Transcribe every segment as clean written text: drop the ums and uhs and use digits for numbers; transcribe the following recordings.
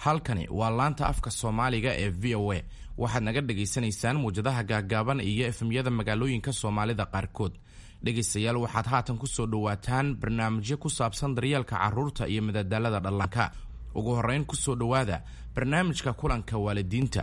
Halkani waa laanta afka Soomaaliga ee VOA. Waxaad naga dhagaysanaysaan muwjadaha gaaggaaban iyo FM-yada magaalooyinka Soomaalida qaarkood. Dhegaystayaal, waxaad haatan ku soo dhowaataan barnaamijyo ku saabsan daryeelka carruurta iyo madadaalada dhallaanka. Ugu horrayn, ku soo dhowaada barnaamijka kulanka waalidiinta.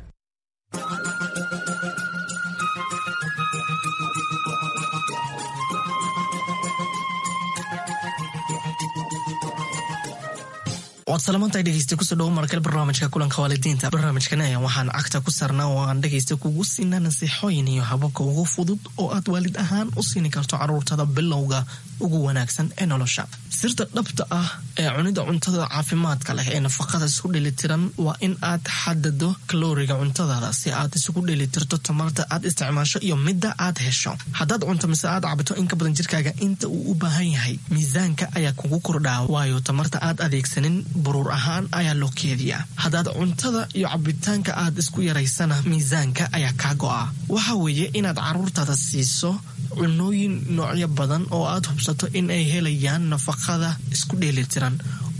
Waad salamantahay, dhegeysta. Kusoo dhawo markale barnaamijka kulanka waalidiinta. Barnaamijkan ayaa waxaan cagta ku saarnaa oo aan dhegeysta kugu siinaa nasiixooyin iyo hababka ugu fudud oo aad waalid ahaan u siini karto caruurtada bilowga ugu wanaagsan ee nolosha. Sirta dhabta ah ee cunida cuntada caafimaadka leh ee nafaqada isku dheelitiran waa in aad xadado kalooriga cuntadaada si aad isugu dheelitirto tamarta aad isticmaasho iyo midda aad hesho. Haddaad cunto mise aad cabto in ka badan jirkaaga inta uu u baahan yahay, miisaanka ayaa kugu kordhaa, waayo tamarta aad adeegsanin buruur ahaan ayaa loo keediyaa. Haddaad cuntada iyo cabitaanka aad isku yaraysana, miisaanka ayaa kaa go'a. Waxa weeye inaad caruurtaada siiso cunooyin noocyo badan oo aad hubsato in ay helayaan nafaqada isku dheelitiran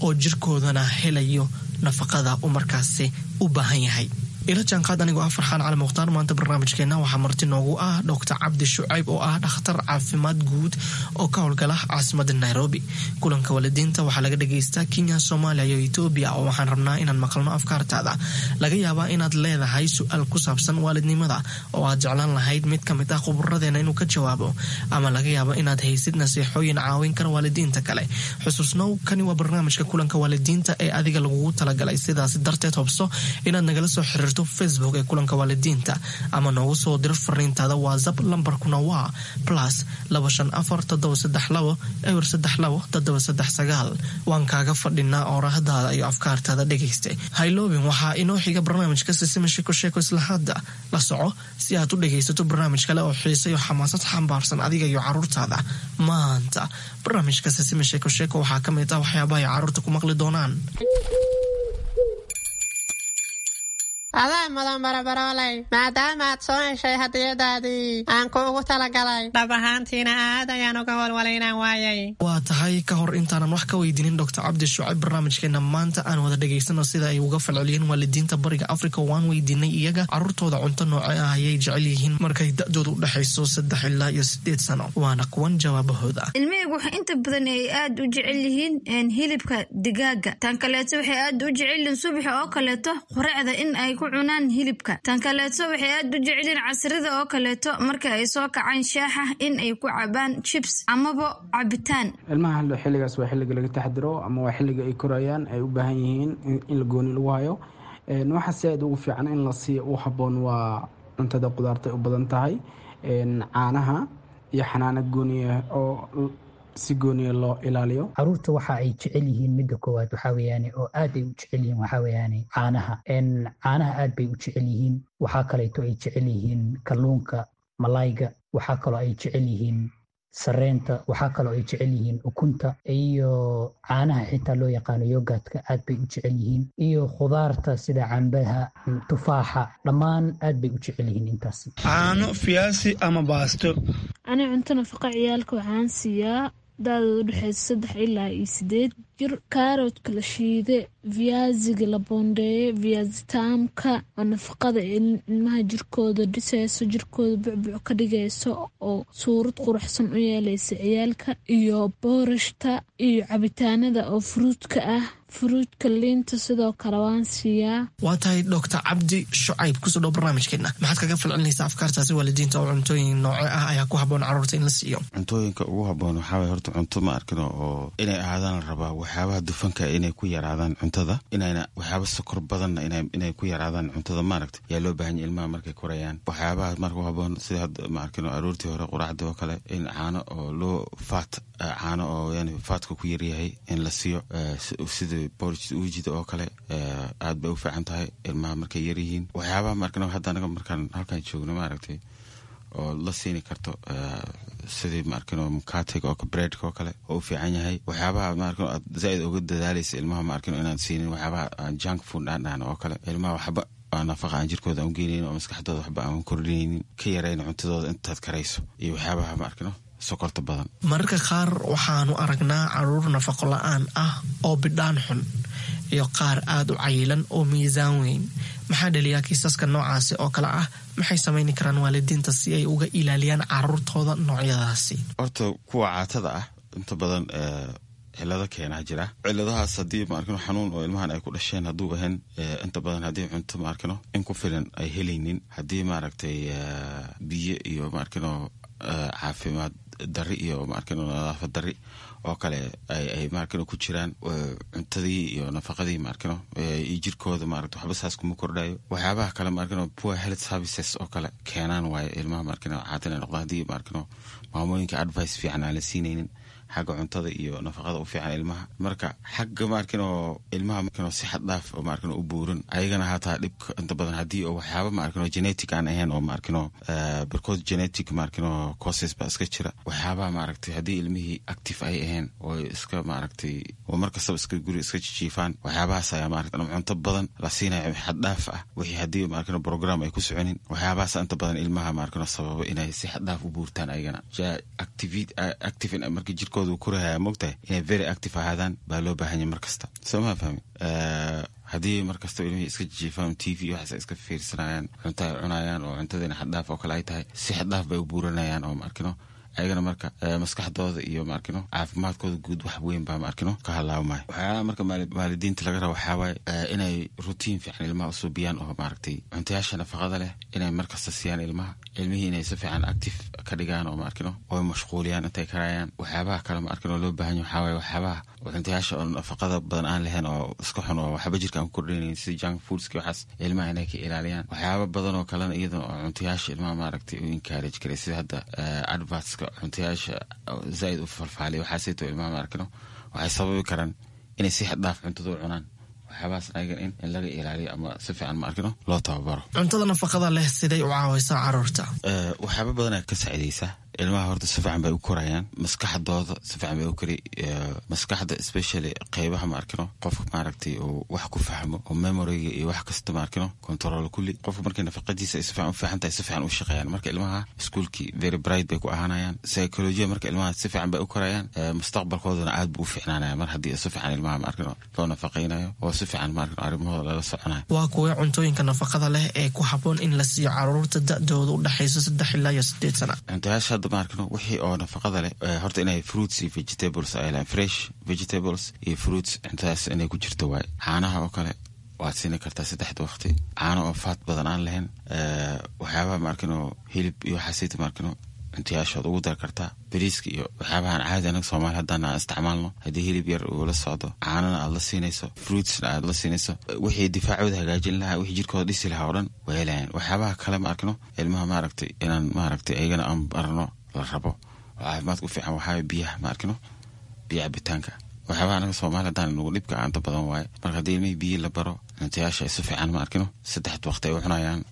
oo jirkoodana helayo nafaqada uu markaasi u baahan yahay. Ila jaanqaad anigoo ah Farxaan Cali Mukhtaar. Maanta barnaamijkeenna waxaa marti noogu ah Doctor Cabdi Shucayb oo ah dhakhtar caafimaad guud oo ka howlgala caasimada Nairobi. Kulanka waalidiinta waxaa laga dhagaystaa Kenya, Soomaaliya iyo Etoobiya, oo waxaan rabnaa inaan maqalno afkaartaada. Laga yaabaa inaad leedahay su-aal ku saabsan waalidnimada oo aad jeclaan lahayd mid ka mid ah khuburadeena inuu ka jawaabo, ama laga yaabo inaad haysid nasiixooyin caawin kara waalidiinta kale. Xusuusnow, kani waa barnaamijka kulanka waalidiinta ee adiga lagugu talagalay. Sidaas darteed, hobso inaad nagala soo xiriirto Facebook ee kulanka waalidiinta ama noogu soo diro fariintaada WhatsApp. Lambarkuna waa +254 732 032 739. Waan kaaga fadhinaa oorahdaada iyo afkaartaada, dhegaysta. Hayloobin, waxaa inoo xiga barnaamijka Sisima Sheeko Sheeko. Isla hadda la soco si aad u dhegaysato barnaamij kale oo xiise iyo xamaasad xambaarsan adiga iyo caruurtaada. Maanta barnaamijka Sisima Sheeko Sheeko waxaa ka mid ah waxyaabaha ay caruurta ku maqli doonaan. Adaa mudan, barabarooley, maadaama aad soo heshay hadiyadaadii aan kuugu talagalay. Dhab ahaantiina aad ayaan uga walwalay inaan waayay. Waa tahay. Ka hor intaanan wax ka weydiinin Doctor Cabdi Shucayb barnaamijkeena maanta, aan wada dhegaysano sida ay uga falceliyeen waalidiinta Bariga Africa. Waan weydiinay iyaga caruurtooda cunto nooce ah ayay jecel yihiin markay da-dooda u dhexayso 3 ilaa iyo 8 sano. Waana kuwan jawaabahooda. Ilmahaygu waxay inta badan ay aad u jecel yihiin hilibka digaaga. Tan kaleeto, waxay aad u jecel yihiin subaxa oo kaleeto quracda in ay ku cunaan hilibka. Tan kaleeto, waxay aad u jecel yihiin casrida oo kaleeto marka ay soo kacaan shaaxa in ay ku cabaan chips amaba cabitaan. Ilmaha xilligaas waa xilliga laga taxdiro ama waa xilliga ay korayaan, ay u baahan yihiin in la gooni lagu hayo. Waxa si aad ugu fiican in la siiyo u habboon waa cuntada qudaarta u badan tahay, caanaha iyo xanaano gooniya oo si gooniya loo ilaaliyo. Caruurta waxa ay jecel yihiin, midda koowaad waxaa weeyaane oo aad ay u jecel yihiin, waxaa weeyaane caanaha. Caanaha aad bay u jecel yihiin. Waxaa kaleeto ay jecel yihiin kalluunka, malayga. Waxaa kaloo ay jecel yihiin sareenta. Waxaa kaloo ay jecel yihiin ukunta iyo caanaha xitaa loo yaqaano yogurtka, aad bay u jecel yihiin, iyo khudaarta sida cambaha, tufaaxa, dhammaan aad bay u jecel yihiin intaasi. Caano, fiyaasi ama baasto. Ani cunto nafaqa ciyaalka waxaan siiyaa da-dooda udhexeysa 3 ilaa iyo 8 jir kaaroodka la shiide, viyaasiga la boondeeye, viyaasitaamka oo nafaqada ilmaha jirkooda dhiseyso, jirkooda bucbuc ka dhigayso oo suurad quruxsan u yeeleysa ciyaalka, iyo boorashta iyo cabitaanada oo fruitka ah, fruitka, liinta sidoo kale waan siiyaa. Waa tahay. Doctor Cabdi Shucayb, kusoo dhow barnaamijkeena. Maxaad kaga falcelinaysaa afkaartaasi waalidiinta oo cuntooyin nooce ah ayaa ku haboon caruurta in la siiyo? Cuntooyinka ugu haboon waxaa waye horta cunto, ma arkino, oo inay ahaadaan la rabaa waxyaabaha dufanka inay ku yaraadaan cuntada, inayna waxyaaba sokor badanna inay ku yaraadaan cuntada, maaragta, yaa loo baahan yahay ilmaha markay korayaan. Waxyaabaha marka u haboon sida hadda, ma arkino, aroortii hore quraacda oo kale in caano oo loo fat, caano oo yani fatka ku yaryahay in la siiyo, sida porridge uujida oo kale, aad bay u fiican tahay ilmaha markay yaryihiin. Waxyaabaha, ma arkino, hadda anaga markaan halkaan joogno, maaragtay, oo la siini karto sidii, ma arkino, mukatiga oo breadka oo kale oo u fiican yahay. Waxyaabaha, ma arkino, aad zaaid uga dadaalaysa ilmaha, ma arkino, inaan siinin waxyaabaha aan junk food aan dhahno oo kale. Ilmaha waxba nafaqa aan jirkooda aan u geenaynin oo maskaxdooda waxba aan kordhinaynin, ka yarayn cuntadooda intaad karayso, iyo waxyaabaha, ma arkino, sokorta badan. Mararka qaar waxaanu aragnaa caruur nafaqo la-aan ah oo bidhaan xun. iyo qaar aada u cayilan oo miisaan weyn. Maxaa dhaliyaa kiisaska noocaasi oo kale ah? Maxay samayni karaan waalidiinta si ay uga ilaaliyaan caruurtooda noocyadaasi? Horta kuwa caatada ah inta badan cilado keenaa jira. Ciladahaas haddii maarkino xanuun oo ilmahan ay ku dhasheen hadduu ahayn, inta badan haddii cunto maarkino in ku filan ay helaynin, haddii maaragtay biyo iyo maarkino caafimaad dari iyo maarkino nadaafad dari oo kale ay maarkino ku jiraan, cuntadii iyo nafaqadii maarkino iyo jirkooda maaragta waxba saas kuma kordhayo. Waxyaabaha kale maarkino poor health services oo kale keenaan waaye ilmaha maarkino caata inay noqdaan, haddii maarkino maamooyinka advice fiican aan la siinaynin xagga cuntada iyo nafaqada u fiican ilmaha. Marka xagga maarkino ilmaha maarkino si xad dhaaf oo maarkino u buuran ayagana hataa dhibka inta badan haddii oo waxyaaba maarkino genetic aan ahayn oo maarkino barkood genetic maarkino causes baa iska jira. Waxyaabaha maaragtay haddii ilmihii active ay ahayn oo iska maaragtay oo mar kastaba iska guri iska jijiifaan, waxyaabahaas ayaa maaragtay ama cunto badan la siinayo xad dhaaf ah, wixii haddii maarkino program ay ku soconin, waxyaabahaas inta badan ilmaha maarkino sababa inay si xad dhaaf u buurtaan ayagana. Active markii jirkooda uu korahaya, mogtahay inay very active ahaadaan baa loo baahan yahay mar kasta, soo maa fahmi? Haddii mar kasta ilmihii iska jijiifaan, TV waxaas ay iska fiirsanayaan, cunto ay cunayaan oo cuntadiina xaddhaaf oo kale ay tahay, si xaddhaaf bay u buuranayaan oo maarkino ayagana marka maskaxdooda iyo maarkino caafimaadkooda guud wax weyn baa maarkino ka halaabmaya. Waxyaalaha marka waalidiinta laga raba waxaa waaye inay routine fiican ilmaha usuubiyaan oo maaragtay cuntayaasha nafaqada leh inay markasta siiyaan ilmaha, ilmihii inay si fiican active ka dhigaan oo maarkino oo mashquuliyaan intay karayaan. Waxyaabaha kale maarkino loo baahan yahay waxaa waaye waxyaabaha cuntayaasha oo nafaqada badan aan lahayn oo iska xun oo waxba jirka aan ku kordhinaynin, sida junk foodski, waxaas ilmaha inay ka ilaaliyaan. Waxyaaba badan oo kalena iyadana oo cuntayaasha ilmaha maaragtay u encourage karay, sida hadda advertska cuntayaasha zaaid u falfaaliya, waxaasayto ilmaha maarkino waxay sababi karaan inay si xad dhaaf cuntada u cunaan. Waxyaabahaas ayagan in laga ilaaliyo ama si fiican maarkino loo tababaro. Cuntada nafaqada leh siday u caawaysaa caruurta? Waxyaaba badanaa ka saacidaysa ilmaha. Horta si fiican bay u korayaan, maskaxdooda si fiican bay u kori, maskaxda especially qeybaha maarkino qofka maaragtay uu wax ku fahmo oo memoryga iyo wax kasta maarkino control kulli. Qofka markay nafaqadiisa ay si fiican u fiican tahay, si fiican u shaqeeyaan. Marka ilmaha iskuulkii very bright bay ku ahaanayaan, psychology marka ilmaha si fiican bay u korayaan, mustaqbalkoodana aad buu u fiicnaanaya mar haddii si fiican ilmaha maarkino loo nafaqaynayo oo si fiican maarkino arrimahooda lala soconayo. Waa kuwee cuntooyinka nafaqada leh ee ku habboon in la siiyo caruurta da'dooda u dhexayso 3 ilaa iyo 8 sana? Cuntayaasha hadda maarkino wixii oo nafaqada leh, horta inay fruits iyo vegetables ay lahayn, fresh vegetables iyo fruits, cuntadaas inay ku jirto waaye. Caanaha oo kale waad siini kartaa saddexda waqti, caano oo fat badan aan lahayn. Waxyaabaha maarkino hilib iyo waxaasayta maarkino cuntayaashood ugu dar kartaa. Bariiska iyo waxyaabahan caadi anaga Soomaali haddaan aan isticmaalno, haddii hilib yar uu la socdo, caanana aad la siinayso, fruitsna aad la siinayso, wixii difaacooda hagaajin lahaa, wixii jirkooda dhisi lahaa oo dhan way helayaan. Waxyaabaha kale ma arkino ilmaha maaragtay inaan maaragtay ayagana aan barno la rabo oo caafimaadka u fiican waxaa biyaha ma arkino, biyo cabitaanka. Waxyaabaha anaga Soomaali haddaan nagu dhibka inta badan waaye. Marka haddii ilmihii biyo la baro, cuntayaasha ay si fiican ma arkino saddexda waqti ay u cunayaan,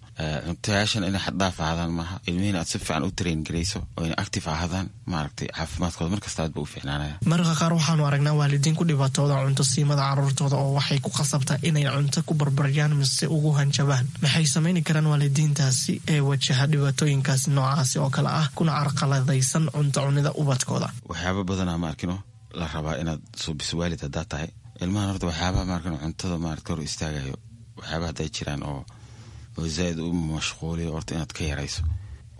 cuntayaashan inay xaddhaaf ahaadaan maaha, ilmihiina aad si fiican u train garayso oo inay active ahaadaan, maaragtay caafimaadkooda markasta aad ba u fiicnaanaya. Mararka qaar waxaanu aragnaa waalidiin ku dhibaatooda cunto siimada caruurtooda oo waxay ku khasabtaa inay cunto ku barbaryaan mise ugu hanjabaan. Maxay samayni karaan waalidiintaasi ee wajaha dhibaatooyinkaasi noocaasi oo kale ah kuna carqaladaysan cunto cunida ubadkooda? Waxyaaba badanaa ma arkino la rabaa inaad suubiso waalid haddaad tahay ilmahan. Horta waxyaabaha maarkino cuntada maarata hor istaagayo, waxyaabaha hadday jiraan oo zaaid u mashquuliyo, horta inaad ka yarayso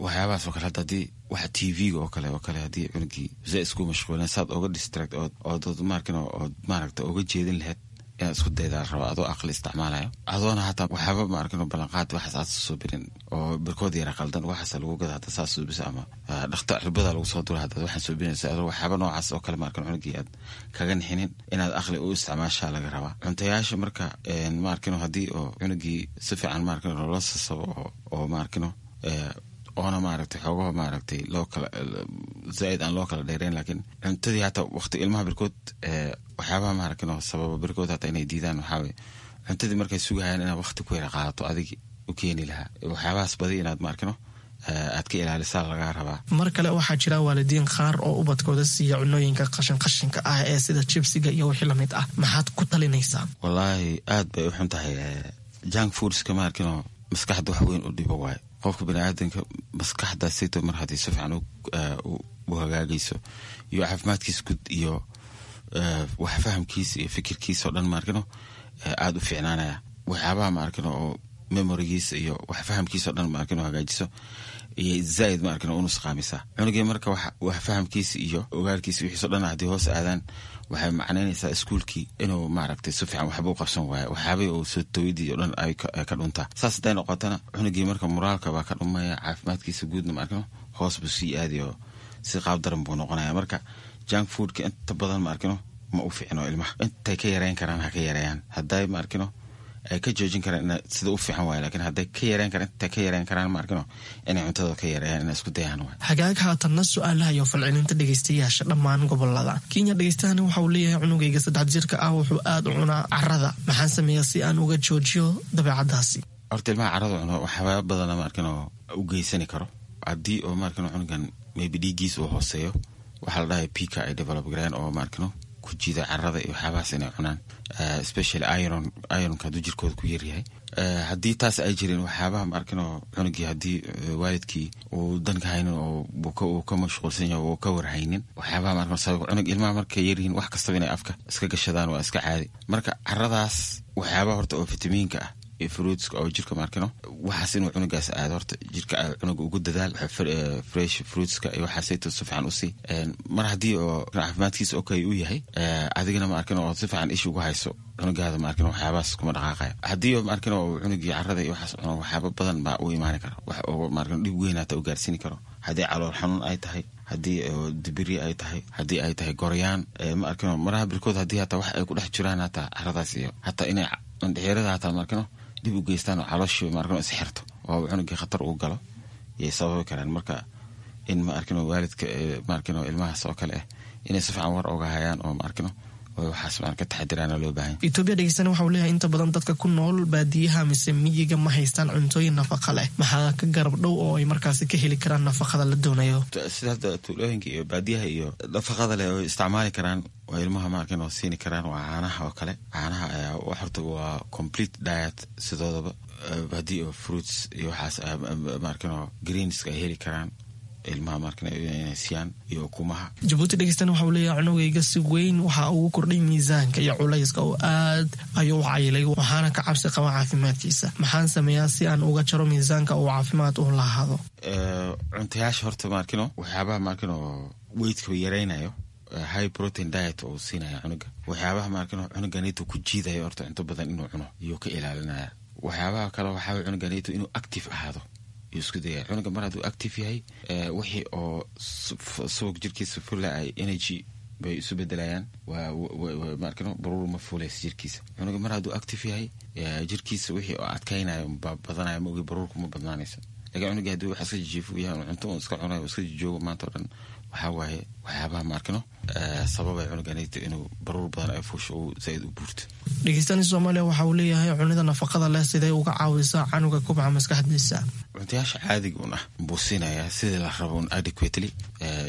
waxyaabahaas oo kale. Hadda haddii waxa TV-ga oo kale haddii cunugii zaaid isku mashquulin, saad oga distract ood maarkino ood maaragta oga jeedin lahayd inaad isku daydaa la rabaa, adoo aqli isticmaalayo, adoona hataa waxyaaba maarkino ballanqaad waxaas aad suubirin oo barkood yara qaldan waxaas lagu gada hadda saas suubisa ama dhakta cirbada lagu soo dura hadda waxaan suubinaysa, adoo waxyaaba noocaas oo kale maarkino cunugii aad kaga nixinin, inaad aqli u isticmaashaa laga rabaa cuntayaasha. Marka maarkino haddii oo cunugii si fiican maarkino loola sasabo oo maarkino oona maaragtay xoogaha maaragtay loo kala zaaid aan loo kala dheereyn, laakiin cuntadii hataa waqti ilmaha barkood waxyaabaha maaragtay sababa barkood hataa inay diidaan waxaa waye cuntadii markay sugahayaan inaad waqti ku yara qaadato adigi u keeni lahaa. Waxyaabahaas badi inaad maarkino aad ka ilaalisaa lagaa rabaa. Mar kale waxaa jira waalidiin qaar oo ubadkooda siiya cunooyinka qashin qashinka ah ee sida jibsiga iyo wixii lamid ah. Maxaad ku talinaysaa? Wallaahi aad bay u xun tahay junk foodska maarkino, maskaxda wax weyn u dhibo waaye. Qofka baniaadanka maskaxda sito mar haddii si fiican u hagaagayso iyo caafimaadkiisa guud iyo wax fahamkiisa iyo fikirkiisa oo dhan maarkino Aada u fiicnaanaya waxyaabaha ma arkin oo memorigiisa iyo wax fahamkiisa o dhan ma arkin oo hagaajiso iyo zaaid ma arkin oo unusqaamisa cunugii. Marka wax fahamkiisa iyo ogaalkiisa wixiiso dhan haddii hoos aadaan, waxay macnaynaysaa iskuulkii inuu maaragtay si fiican waxba u qabsan waayo, waxyaabihii uu soo tawidii o dhan ay ka dhuntaa. Saas hadday noqotana, cunugii marka moraalka baa ka dhumaya, caafimaadkiisa guudna ma arkino hoos buu sii aadayo, si qaab daran buu noqonaya. Marka junk foodka inta badan ma arkino ma u fiicno ilmaha. Intay ka yareyn karaan ha ka yareeyaan, hadday ma arkino ay ka joojin karaan sida u fiican waay, lakiin hadday ka yareyn karaan, intay ka yareyn karaan ma arkino inay cuntada ka yareeyaan, inay isku dayaan waay. Hagaag, haatanna su-aalaha iyo falcelinta dhegeystayaasha dhammaan gobolada Kenya. Dhegeystahani waxa uu leeyahay: cunugayga 3 jirka ah wuxuu aada u cunaa carada, maxaan sameeyaa si aan uga joojiyo dabeecadaasi? Horta ilmaha carada cuno waxyaaba badana ma arkin oo u geysani karo. Haddii oo ma arkino cunugan maybe dhiiggiis uu hooseeyo, waxaa la dhahay pica ay develop gareen oo ma arkino ku jiida carada iyo waxyaabahaas inay cunaan, especially iron. Ironka hadduu jirkooda ku yaryahay, haddii taas ay jirin, waxyaabaha ma arkin oo cunugii haddii waalidkii uu danka haynin oo uu ka mashquulsan yahay, uu ka warhaynin waxyaabaha ma arkin sabab cunug. Ilmaha markay yaryihiin wax kastaba inay afka iska gashadaan waa iska caadi. Marka caradaas waxyaabaha horta oo fitamiinka ah iyo fruitska oo jirka maarkino waxaas inuu cunugaas aado, horta jirka cunuga ugu dadaal fresh fruitska iyo waxaasayto si fiican usii. Mar haddii oo caafimaadkiisa okay uu yahay, adigana ma arkin oo si fiican ish ugu hayso cunugaada, ma arkin waxyaabahaas kuma dhaqaaqayo. Haddii ma arkin oo cunugii carada iyo waxaas cuno, waxyaaba badan baa u imaani kara, wax oo ma arkin dhib weyn hata u gaarsiini karo. Haddii calool xanuun ay tahay, haddii dibiri ay tahay, haddii ay tahay goryaan, ma arkino maraha birkood haddii hataa wax ay ku dhex jiraan hataa caradaas iyo hataa inay andhexeerada hataa ma arkino dib u geystaan oo calooshii ma arkino is xirto oo cunugii khatar uu galo yay sababi karaan. Marka in ma arkino waalidka ma arkino ilmahaas oo kale ah inay si fiican war oga hayaan oo ma arkino waxaas maan ka taxadiraana loo baahan. Etoobiya dhegeystana waxa uu leeyahay: inta badan dadka ku nool baadiyaha mise miyiga ma haystaan cuntooyin nafaqa leh, maxaa ka garab dhow oo ay markaasi ka heli karaan nafaqada la doonayo? Sida hadda tuulooyinka iyo baadiyaha iyo nafaqada leh oo isticmaali karaan oo ilmaha maarkan oo siini karaan waa caanaha oo kale. Caanaha ayaa horta waa complete diet sidoodaba. Haddii oo fruits iyo waxaas maarkan oo greenska ay heli karaan ilmaha markan inay siiyaan iyo ukumaha. Jabuuti dhegeystana waxa uu leeyahay: cunugayga si weyn waxa ugu kordhay miisaanka iyo culayska oo aad ayuu u cayilay, waxaana ka cabsi qaba caafimaadkiisa. Maxaan sameeyaa si aan uga jaro miisaanka uu caafimaad u lahaado? Cuntayaasha horta maarkino waxyaabaha maarkino weightka yaraynayo, high protein diet oo siinaya cunuga, waxyaabaha maarkino cunuganito ku jiidayo horta cunto badan inuu cuno iyuu ka ilaalinaya. Waxyaabaha kale waxaa cunuganito inuu active ahaado isku daya. Cunuga mar hadduu active yahay, wixii oo subag jirkiisa fula ay energy bay isu bedelayaan, maarkino baruur ma fuulaysa jirkiisa. Cunuga mar hadduu active yahay, jirkiisa wixii oo adkaynayo baa badanaya, ma ogi baruurku ma badnaanaysa. Lakin cunuga haddii wax iska jijiifo yahay, cunto un iska cunayo, iska jijoogo maanta o dhan, waxaa waaye waxyaabaha maarkino sababay cunuganayta inuu baruur badan ay fuusho, uu zaaid u buurto. Dhegeystani Soomaaliya waxa uu leeyahay: cunida nafaqada leh sidee uga caawisaa canuga kubca maskaxdiisa? Cuntayaasha caadiga un ah buu siinayaa sidii la rabo un adequately,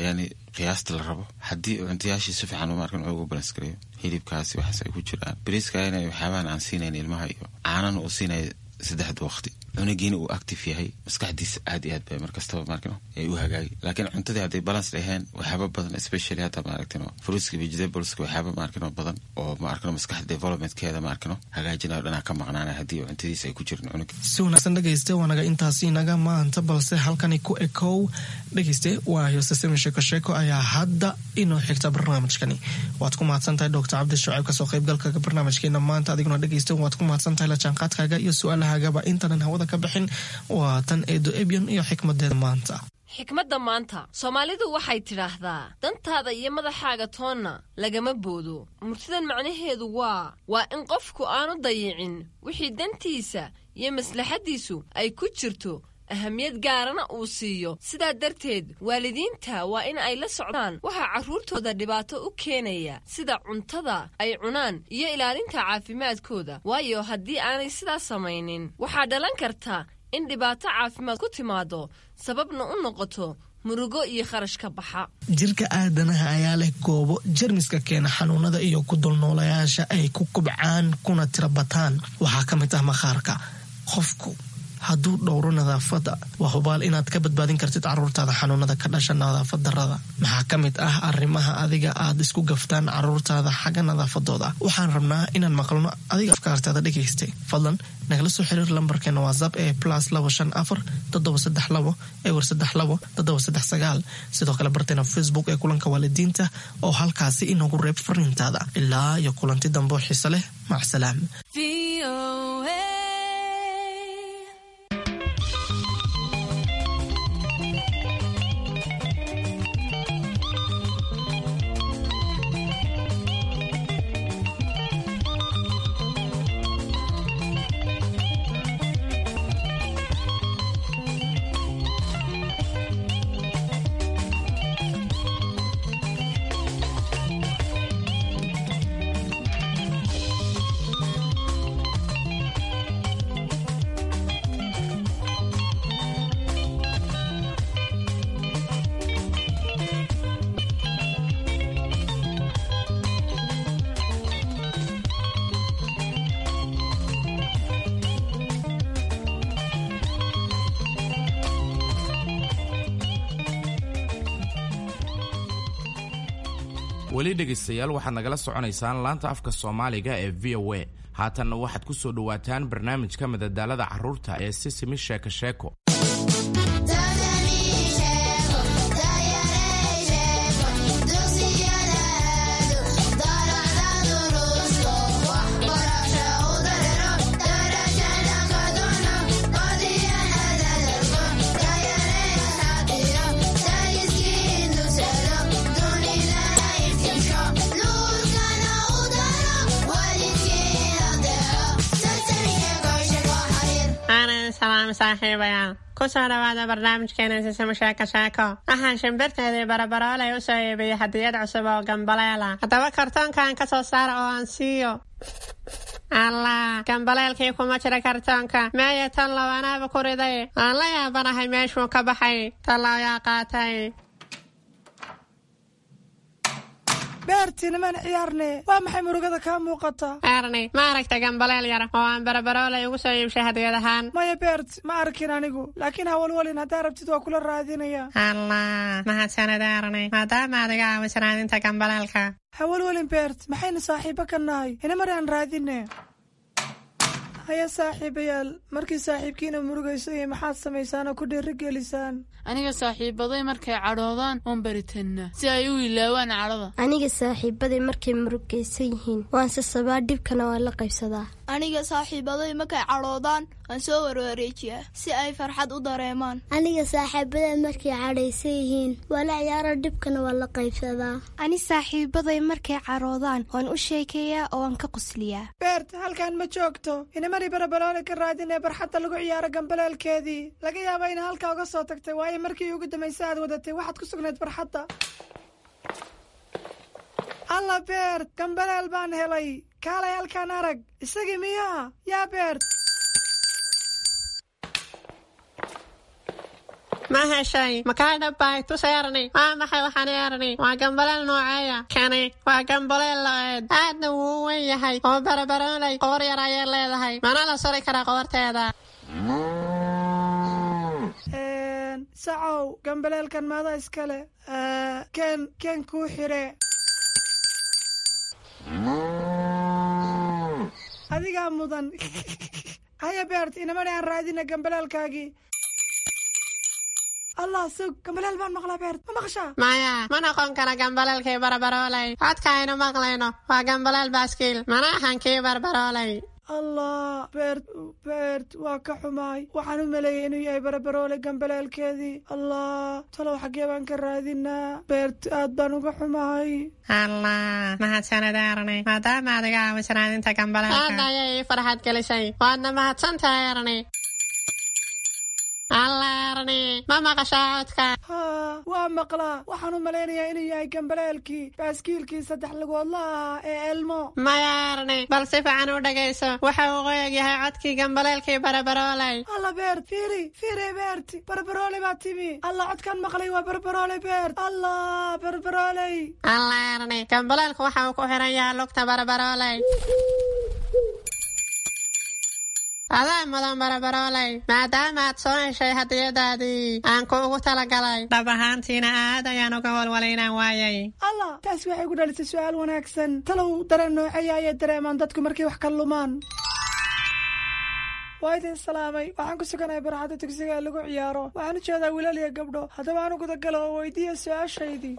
yani qiyaasta la rabo. Haddii cuntayaashii si fiican maarkan ugu balance gareeyo, hilibkaasi waxaas ay ku jiraan, bariiska inay waxyaabahan aan siinayn ilmaha iyo caanana uu siinaya saddexda waqti, cunugiina uu active yahay, maskaxdiisa aad iyo aad bay markastaba maarkino ay u hagaagi. Laakiin cuntadii hadday balance dhaheen, waxyaaba badan, especially hadda maaragtino fruitska, vegetables, waxyaaba maarkino badan oo maarkino maskaxda developmentkeeda maarkino hagaajinayo dhanaa ka maqnaanay haddii cuntadiisa ay ku jirin cunuga. Si wanaagsan dhegeyste, waa naga intaasi naga maanta, balse halkani ku ekow dhegeyste, waayo sasemi sheeko sheeko ayaa hadda inoo xigta barnaamijkani. Waad ku mahadsan tahay Doctor Cabdi Shucayb kasoo qaybgalka barnaamijkeena maanta. Adiguna dhegeyste waad ku mahadsan tahay la jaanqaadkaaga iyo su-aalahaagaba. Intaanan hawada ka bixin, waa tan Eedo Ebyon iyo xikmadeeda maanta. Xikmadda maanta, Soomaalidu waxay tidhaahdaa: dantaada iyo madaxaaga toonna lagama boodo. Murtidan macnaheedu waa in qofku aanu dayicin wixii dantiisa iyo maslaxaddiisu ay ku jirto, ahamiyad gaarana uu siiyo. Sidaa darteed waalidiinta waa in ay la socdaan waxaa carruurtooda dhibaato u keenaya, sida cuntada ay cunaan iyo ilaalinta caafimaadkooda, waayo haddii aanay sidaas samaynin waxaa dhalan karta in dhibaato caafimaad ku timaado, sababna u noqoto murugo iyo kharash ka baxa. Jirka aadanaha ayaa leh goobo jermiska keena xanuunada iyo ku dulnoolayaasha ay ku kubcaan kuna tira bataan. Waxaa ka mid ah maqaarka. Qofku hadduu dhowro nadaafadda, waa hubaal inaad ka badbaadin kartid caruurtaada xanuunada ka dhasha nadaafad darada. Maxaa ka mid ah arrimaha adiga aad isku gaftaan caruurtaada xagga nadaafadooda? Waxaan rabnaa inaan maqalno adiga afkaartaada dhegaystay. Fadlan nagala soo xiriir lambarkeena WhatsApp ee +254 732 032 739. Sidoo kale barteena Facebook ee Kulanka Waalidiinta oo halkaasi inoogu reeb fariintaada. Ilaa iyo kulanti dambe oo xiise leh, macsalaam. Weli dhegaystayaal, waxaad nagala soconaysaan laanta afka Soomaaliga ee VOA. Haatanna waxaad ku soo dhowaataan barnaamijka madadaalada carruurta ee Sisimi Sheeko Sheeko. Aanan salaam saaxiibayaal, kusoo dhawaada barnaamijkeena Sisimo Sheeko Sheeko. Waxaan shimbirteedii Barabarooley u soo iibiyey hadiyad cusub oo gambaleela. Haddaba kartoonkan ka soo saara oo aan siiyo. Allah, gambaleelkii kuma jira kartoonka. Meeye tallow, anaaba ku riday. Aan la yaabanahay meeshuu ka baxay. Tallow yaa qaatay? Beerti, nimaan ciyaarne. Waa maxay murugada kaa muuqata? Erni, ma aragta gambaleel yar oo aan Barabarooley ugu soo iibshay hadiyad ahaan? Maya Beert, ma arkin anigu, laakiin hawalwalin, haddaa rabtid waa kula raadinaya. Allah, mahadsanid Erni, maadaama aad iga caawiso raadinta gambaleelka. Hawalwalin Beert, maxaynu saaxiibo ka nahay? Inamar aan raadine. Haya saaxiibayaal, markii saaxiibkiina murugaysan maxaad samaysaan oo ku dhiirigelisaan? Aniga saaxiibaday markay cadhoodaan oon baritannaa si ay u ilaawaan cadhada. Aniga saaxiibaday markay murugaysan yihiin waan sasabaa, dhibkana waan la qaybsadaa. Aniga saaxiibaday markay cadhoodaan waan soo warwareejiyaa si ay farxad u dareemaan. Aniga saaxiibaday markay cadhaysan yihiin waa la ciyaaro, dhibkana waan la qaybsadaa. Ani saaxiibaday markay cadhoodaan waan u sheekeeyaa oo waan ka qosliyaa. Beert, halkan ma joogto. Inamari Barabaloole ka raadinee barxadda lagu ciyaaro gambaleelkeedii. Laga yaaba ina halkaa uga soo tagtay, waayo markii ugu dambaysa aad wadatay waxaad ku sugnayd barxadda. Alla Beert, gambaleel baan helay. Kaalay halkaan arag. Isagii miyaa yaa Beert? Ma heshay? Makaa dhabbay? Tus Erni. Waa maxay waxaan Erni? Waa gambaleel nooceeya kani? Waa gambaleel lo-eed, aadna wuu u weyn yahay oo Barabarooley qoor yar ayay leedahay, mana la suri karaa qoorteeda. Sacow, gambaleelkan maada iskale? Ken ken kuu xire. Adigaa mudan. Haya Beert, inamani aan raadina gambaleelkaagii. Allah, sug, gambaleel baan maqlaa. Beert, ma maqashaa? Maya, ma noqon kara gambaleelkii Barabarooley. Codka aynu maqlayno waa gambaleel baaskiil, mana ahan kii Barbarooley. Allah Beert, Beert, waa ka xumaay. Waxaan u maleeyay inuu yahay Barabaroole gambaleelkeedii. Allah, talow xaggee baan ka raadinaa? Beert, aad baan uga xumahay. Allah, mahadsanid Erni, maadaama aad iga caawiso raadinta gambaleelka. Aad ayay ii farxad gelisay, waadna mahadsan tahay Erni. Allah Erni, ma maqashaa codka? Haa, waa maqlaa. Waxaan u malaynayaa inuu yahay gambaleelkii baaskiilkii saddex lugoodla ahaa ee Elmo. Maya Erni, bal si fiican u dhegayso. Waxa uu qoyag yahay codkii gambaleelkii Barabarooley. Alla Beert, fiiri fiiri. Beert, Barbaroole baa timi. Allah, codkaan maqlay waa Barbaroole. Beert, Allah, Barbarooley. Allah Erni, gambaleelku waxa uu ku xiran yahay lugta Barabarooley. Adaa mudan Barabarooley, maadaama aad soo heshay hadiyadaadii aan kuugu talagalay. Dhab ahaantiina aad ayaan uga walwalay inaan waayay. Allah, taasi waxay ku dhalisay su'aal wanaagsan. Talow dareen nooceeya ayay dareemaan dadku markay wax ka lumaan? Waa idin salaamay. Waxaan ku suganahay barxadda dugsiga ee lagu ciyaaro. Waxaan u jeedaa wiilal iyo gabdho. Haddaba aan u gudagalo oo weydiiya su-aashaydii.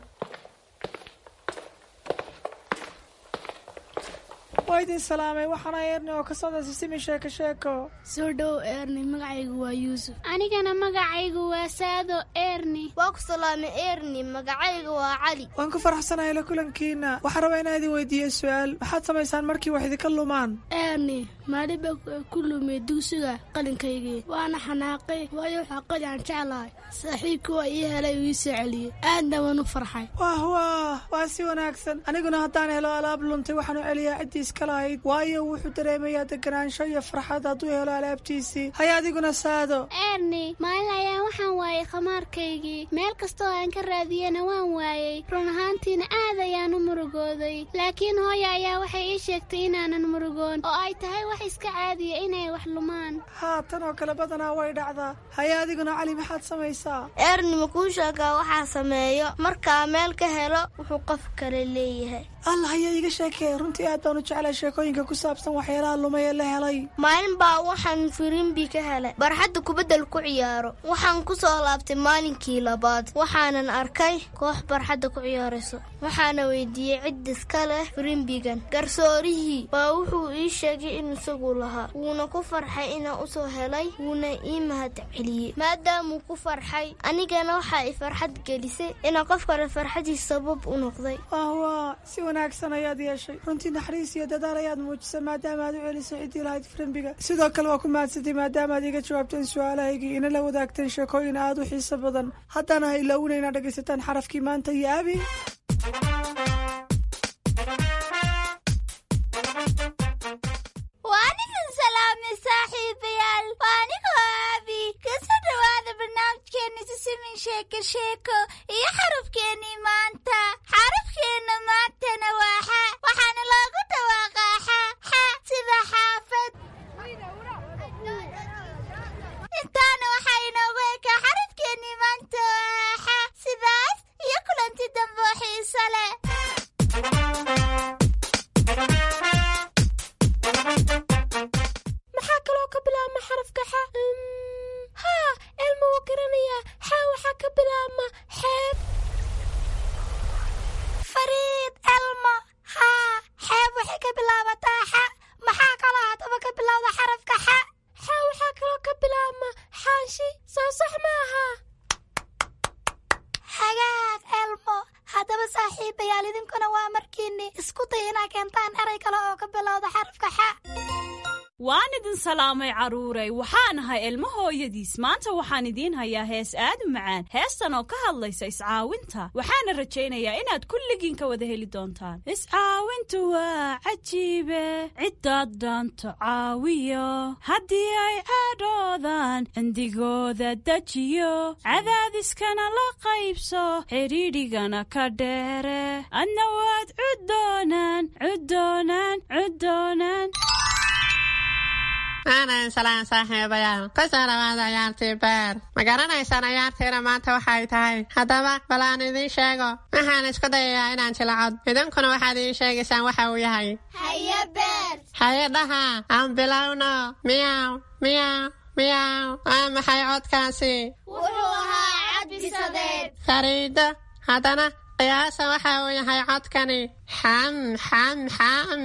Waa idin salaamay. Waxaana Eerni oo ka socda Sisimi Sheeko Sheeko. Soo dhow Eerni, magacaygu waa Yuusuf. Anigana magacaygu waa Saado Eerni. Waa ku salaamay Eerni, magacayga waa Cali. Waan ku faraxsanahay la kulankiina. Waxaan rabaa inaan idin weydiiyo su-aal. Maxaad samaysaan markii wax idinka lumaan? Eerni, maalin baa ku lumay dugsiga qalinkaygii, waana xanaaqay, waayo waxaa qalin aan jeclahay. Saaxiibkii waa ii helay uu ii soo celiyey, aadna waan u farxay. Wah wah, waa si wanaagsan. Aniguna haddaan helo alaab luntay, waxaan u celiyaa ciddii iska lahayd, waayo wuxuu dareemayaa deganaansho iyo farxad hadduu helo alaabtiisii. Haya adiguna Saado. Eerni, maalin ayaa waxaan waayay khamaarkaygii. Meel kastoo aan ka raadiyena waan waayey. Run ahaantiina aad ayaan u murugooday, laakiin hooya ayaa waxay ii sheegtay inaanan murugoon oo ay tahay wax iska caadiya inay wax lumaan. Haa, tan oo kale badanaa way dhacdaa. Haya adiguna Cali, maxaad samaysaa? Eerni, ma kuu sheegaa waxaa sameeyo markaa meel ka helo wuxuu qof kale leeyahay? Allah, haya iiga sheekee. Runtii aad baan u jeclay sheekooyinka ku saabsan waxyaalaha lumay ee la helay. Maalin baa waxaan firimbi ka helay barxadda kubaddal ku ciyaaro. Waxaan ku soo laabtay maalinkii labaad, waxaanan arkay koox barxadda ku ciyaarayso. Waxaana weydiiyey cid iska leh firimbigan. Garsoorihii baa wuxuu ii sheegay in isagu lahaa, wuuna ku farxay inaan usoo helay, wuuna ii mahad celiyey maadaamuu ku farxay. Anigana waxaa i farxad gelisay inaan qof kale farxadiis sabab u noqday. Wah, si wanaagsan ayaad yeeshay. Runtii naxariis iyo dadaal ayaad muujisay maadaama aad u celisay ciddii lahayd firimbiga. Sidoo kale waa ku mahadsantay maadaama aad iga jawaabteen su-aalahaygii, ina la wadaagteen sheekooyin aad u xiiso badan. Haddana ha ilaawina inaad dhegaysataan xarafkii maanta iyo Abi. Waan idin salaamay saaxiibayaal, waa anigoo Aabi. Kasoo dhowaada barnaamijkeena Sisimin Sheeko Sheeko iyo xarafkeennii maanta. Xarafkeenna maantana waa xa, waxaana loogu dhawaaqaa xa xa, sida xaafad. Intaana waxaa inoogu ekaa xarafkeennii maanta oo ah xa. Sidaas iyo kulanti dambe oo xiiso leh. Maxaa kaloo ka bilaabma xarafka xa? Haa, Elma wuu garanayaa. Xa waxaa ka bilaabma xeeb. Fariid Elma, haa, xeeb waxay ka bilaabataa xa. Maxaa kaloo haddaba ka bilowda xarafka xa? Xa waxaa kaloo ka bilaabma xaanshi, soo sax maaha? Hagaag Elmo. Haddaba saaxiibayaal, idinkuna waa markiinni isku day inaa keentaan eray kale oo ka bilowda xarafka xa. Waan idin salaamay carruuray. Waxaan ahay Ilmo hooyadiis. Maanta waxaan idiin hayaa hees aad u macaan, heestan oo ka hadlaysa iscaawinta. Waxaana rajaynayaa inaad kulligiin ka wada heli doontaan. Iscaawintu waa cajiibe, ciddaad dhaanto caawiyo, haddii ay cadhoodaan cindigooda dejiyo, cadaadiskana la qaybso, xidhiidhigana ka dheere, adna waad cuddoonaan cuddoonaan cuddoonaan. Aanan salaan saaxiibayaal, kusoo dhawaada ciyaartii beer. Ma garanaysaan ciyaartiina maanta waxay tahay? Haddaba bal aan idiin sheego. Waxaan isku dayayaa inaan jilacod, idinkuna waxaad ii sheegaysaan waxa uu yahay. Haye Beer. Haye dhaha, aan bilowno. Miyaw miyaw miyaw, waa maxay codkaasi? Wuxuu ahaa cad bisadeed. Fariido, haddana qiyaasa waxa uu yahay codkani. Xam xam xam,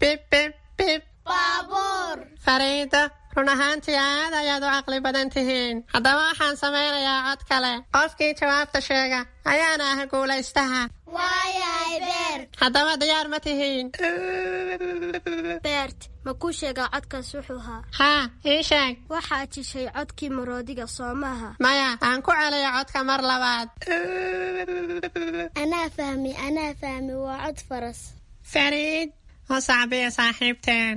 bib bib bib. Baabuur. Fariido, run ahaantii aad ayaad u caqli badan tihiin. Haddaba waxaan samaynayaa cod kale. Qofkii jawaabta sheega ayaana ah guulaystaha. Waayahay Beer. Haddaba diyaar ma tihiin? Beert, ma kuu sheegaa codkaas wuxuu ahaa? Haa, ii sheeg. Waxaad jishay codkii maroodiga, soo maaha? Maya, aan ku celiyo codka mar labaad. Anaa fahmi, anaa fahmi, waa cod faras. Fariid, u sacbiya saaxiibteen.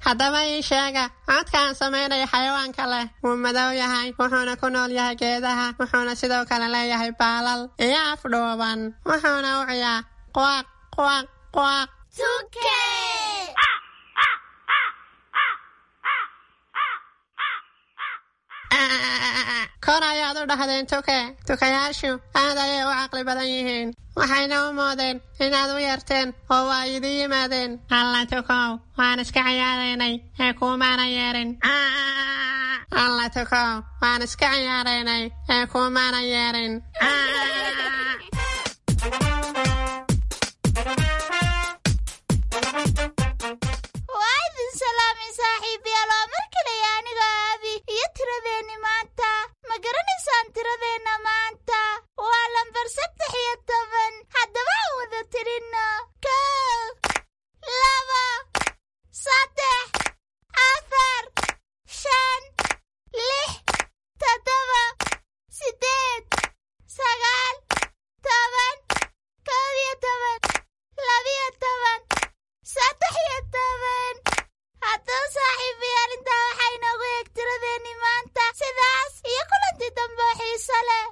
Haddaba ii sheega codka aan samaynayo xayawaanka leh. Wuu madow yahay, wuxuuna ku nool yahay geedaha, wuxuuna sidoo kale leeyahay baalal iyo af dhuuban, wuxuuna u ciyaa quaq quaq quaq. Tuke. Kor ayaad u dhahdeen tuke. Tukayaashu aad ayay u caqli badan yihiin, waxayna u moodeen inaad u yeerteen oo waa idin yimaadeen. Alla tukow, waan iska ciyaaraynay ee kuumaana yeerin. Alla tukow, waan iska ciyaaraynay ee kuumaana yeerin. Waa idin salaamay saaxiibayaal, waa mar kale aniga Aabi iyo tiradeenni maanta. Ma garanaysaan tiradeenna maanta? Waa lambar 13. Haddaba aan wada tirinno: 1, 2, 3, 4, 5, 6, 7, 8, 9, 10, 11, 12, 13. Haddaba saaxiibayaal, intaa waxaa inoogu eeg tiradeenni maanta. Sidaas iyo kulanti dambe oo xiiso leh.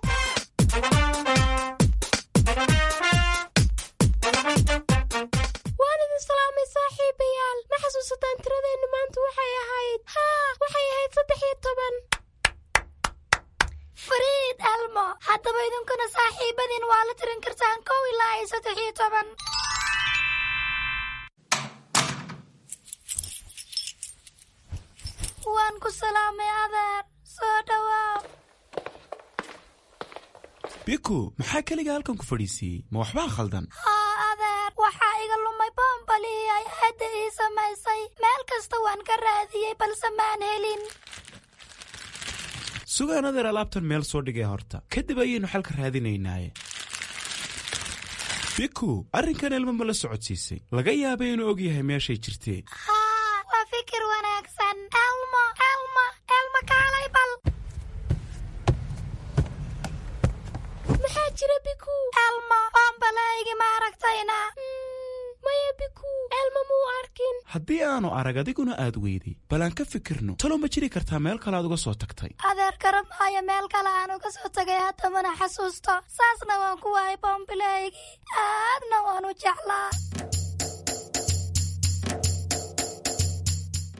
Waan idin salaamay saaxiibayaal. Ma xasuusataan tiradeenna maanta waxay ahayd? Haa, waxay ahayd 13. Fariid Elmo, haddaba idinkuna saaxiibadiin waa la tirin kartaan 1 ilaa iyo 13. Waan ku salaamay adeer, soo dhawaaw. Biku, maxaa keliga halkan ku fadhiisiiyey? Ma waxbaa khaldan? Haa adeer, waxaa iga lumay boombalihii ay aadda ii samaysay. Meel kasta waan ka raadiyey balse maan helin. Sugaan adeer, alaabtan meel soo dhigay horta, kadib ayaynu xalka raadinaynaaye. Biku, arrinkan Elmo ma la socodsiisay? Laga yaabay inuu og yahay meeshay jirtee. Haa, waa fikir wanaagsan. Elmo, Elmo, Elmo, kaalay bal. Maxaa jira, Biku? Elmo, boombalahaygi ma aragtayna? Maya Biku, Elmo muu arkin. Haddii aanu arag adiguna aad weyday, bal aan ka fikirno. Talow ma jiri kartaa meel kale aad uga soo tagtay? Adeer, garan maayo meel kale aan uga soo tagay, hadda mana xasuusto. Saasna waan ku waayay boombilahaygii, aadna waan u jeclaa.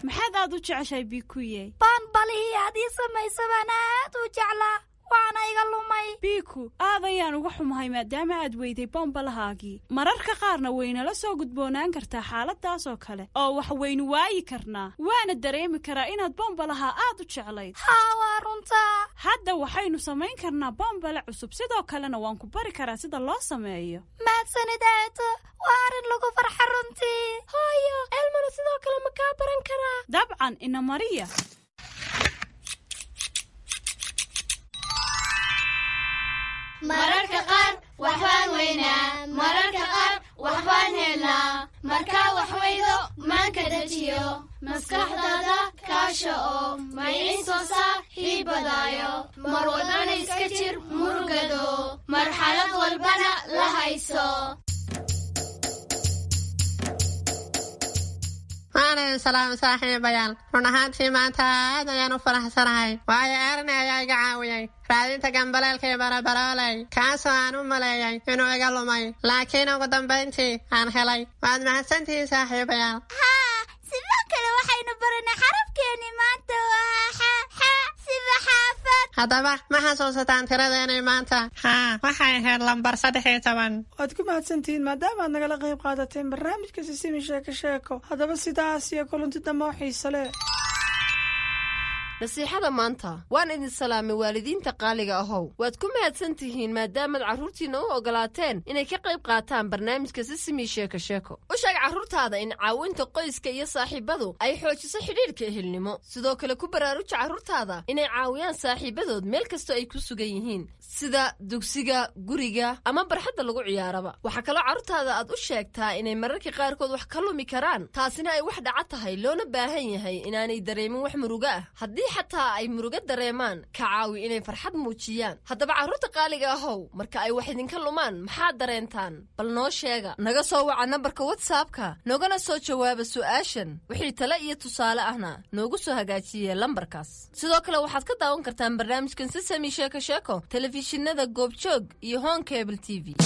Maxaad aad u jeceshahay, Bikuye? Boonbalihii aad ii samaysa baan aad u jeclaa, waana iga lumay. Biku, aad ayaan uga xumahay maadaama aad weyday bombalahaagii. Mararka qaarna waynala soo gudboonaan kartaa xaaladaas oo kale oo wax waynu waayi karnaa, waana dareemi karaa inaad bombalaha aad u jeclayd. Haa, waa runtaa. Hadda waxaynu samayn karnaa bombale cusub, sidoo kalena waan ku bari karaa sida loo sameeyo. Mahadsanid aato, waa arrin lagu farxa runtii. Hooyo, Elmona sidoo kale ma kaa baran karaa? Dabcan, ina mariya. Mararka qaar waxbaan weynaa, mararka qaar waxbaan helnaa. Markaa wax weydo maanka dejiyo, maskaxdaada kaasha oo maciin saaxiibadaayo. Mar walbana iska jir murugado, marxalad walbana la hayso. Waan idin salaamay saaxiibayaal. Run ahaantii maanta aad ayaan u faraxsanahay, waayo Erni ayaa iga caawiyey raadinta gambaleelkii barabarooley, kaasoo aan u maleeyay inuu iga lumay, laakiin ugu dambayntii aan helay. Waad mahadsantihiin saaxiibayaal. Haa, sidoo kale waxaynu baranay xarafkeeni maanta, waa xa, xa sida xaafad. Haddaba ma xasuusataan tiradeenii maanta? Haa, waxay ahayd lambar 13. Waad ku mahadsantihiin maadaama aad nagala qayb qaadateen barnaamijka Sisimi Sheeko Sheeko. Haddaba sidaas iyo kulanti dambe oo xiise leh. Nasiixada maanta. Waan idin salaamay waalidiinta qaaliga ahow. Waad ku mahadsan tihiin maadaamaad carruurtiinna u ogolaateen inay ka qayb qaataan barnaamijka Sisimi Sheeko Sheeko. U sheeg carruurtaada in caawinta qoyska iyo saaxiibadu ay xoojiso xidhiidhka ehelnimo. Sidoo kale ku baraaruja carruurtaada inay caawiyaan saaxiibadood meel kastoo ay ku sugan yihiin, sida dugsiga, guriga ama barxadda lagu ciyaaraba. Waxaa kaloo carruurtaada aad u sheegtaa inay mararka qaarkood wax ka lumi karaan, taasina ay wax dhaca tahay, loona baahan yahay inaanay dareemin wax murugo ah. Haddii xataa ay murugo dareemaan, ka caawi inay farxad muujiyaan. Haddaba carruurta qaaliga ahow, marka ay wax idinka lumaan maxaad dareentaan? Bal noo sheega. Naga soo waca nambarka WhatsAppka, noogana soo jawaaba su'aashan. Wixii tale iyo tusaale ahna noogu soo hagaajiye lambarkaas. Sidoo kale waxaad ka daawan kartaan barnaamijkan Sisami Sheeko Sheeko telefishinada Goobjoog iyo Hon Cable TV.